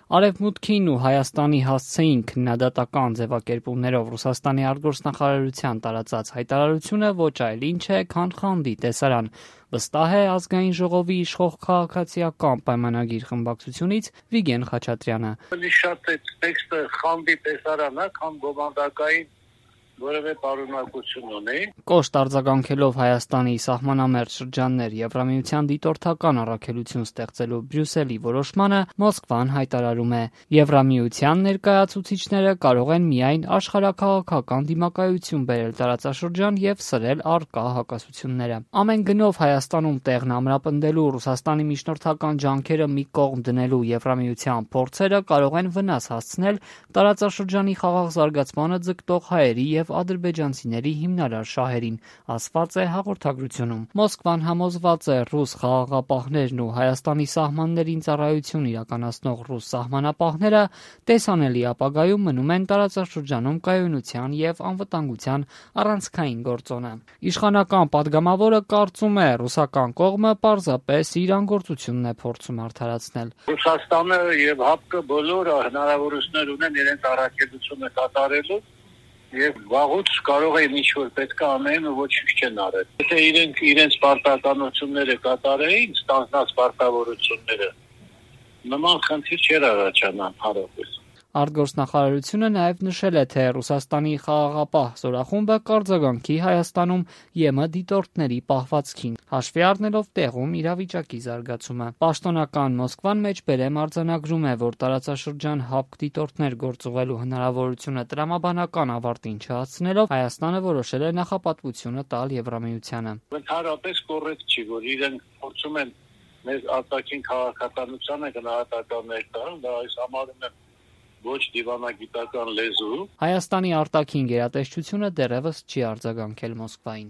Արևմուտքին ու Հայաստանի հասցեին քննադատական ձևակերպումներով Ռուսաստանի արտգործնախարարության տարածած հայտարարությունը ոչ այլ ինչ է, քան խանդի տեսարան, վստահ է Ազգային ժողովի իշխող քաղաքացիական պայմանագիր խմբակցությունից Վիգեն Խաչատրյանը։ Ավելի շատ է տեքստը խանդի տեսարան է, քան բովանդակային որևէ պարունակություն ունի։ Կոշտ արձագանքելով Հայաստանի սահմանամերձ շրջաններ Եվրամիության դիտորդական առաքելություն ստեղծելու Բրյուսելի որոշմանը Մոսկվան հայտարարում է. Եվրամիության ներկայացուցիչները կարող են միայն աշխարհաքաղաքական դիմակայություն բերել տարածաշրջան եւ սրել առկա հակասությունները։ Ամեն գնով Հայաստանում տեղն ամրապնդելու Ռուսաստանի միջնորդական ջանքերը մի կողմ դնելու Եվրամիության փորձերը կարող են վնաս հասցնել տարածաշրջանի խաղաղ զարգացմանը ձգտող հայերի եւ ադրբեջանցիների հիմնարար շահերին, ասված է հաղորդագրությունում։ Մոսկվան համոզված է ռուս խաղաղապահներն ու Հայաստանի սահմաններին ծառայություն իրականացնող ռուս սահմանապահները տեսանելի ապագայում մնում են տարածաշրջանում կայունության եւ անվտանգության առանցքային գործոնը։ Իշխանական падգամավորը կարծում է, ռուսական կողմը պարզապես իր անգործությունն է փորձում արդարացնել։ Ռուսաստանը եւ ՀԱՊԿ բոլորը հնարավորություններ ունեն իրենց առաքելությունը կատարելու եւ վաղուց կարող են ինչ-որ պետք է անեն ու ոչինչ չեն արել։ Եթե իրենք իրենց պարտականությունները կատարեին, ստանձնած պարտավորությունները, նման խնդիր չէր առաջանա հարավից։ Արտգործնախարարությունը նաև նշել է, թե Ռուսաստանի խաղաղապահ զորախումբը կարձագանքի Հայաստանում ԵՄ դիտորդների պահվածքին, հաշվի առնելով տեղում իրավիճակի զարգացումը։ Պաշտոնական Մոսկվան մեջբերեմ արձանագրում է, որ տարածաշրջան ՀԱՊԿ դիտորդներ գործուղելու հնարավորությունը տրամաբանական ավարտին չհասցնելով Հայաստանը որոշել է նախապատվությունը տալ Եվրամիությանը։ Ընդհանրապես կոռեկտ չի, որ իրենք փորձում են մեզ արտաքին քաղաքականությանը գնահատական ներկայացնել, դա այս համարում եմ ոչ դիվանագիտական լեզու։ Հայաստանի արտաքին գերատեսչությունը դեռևս չի արձագանքել Մոսկվային։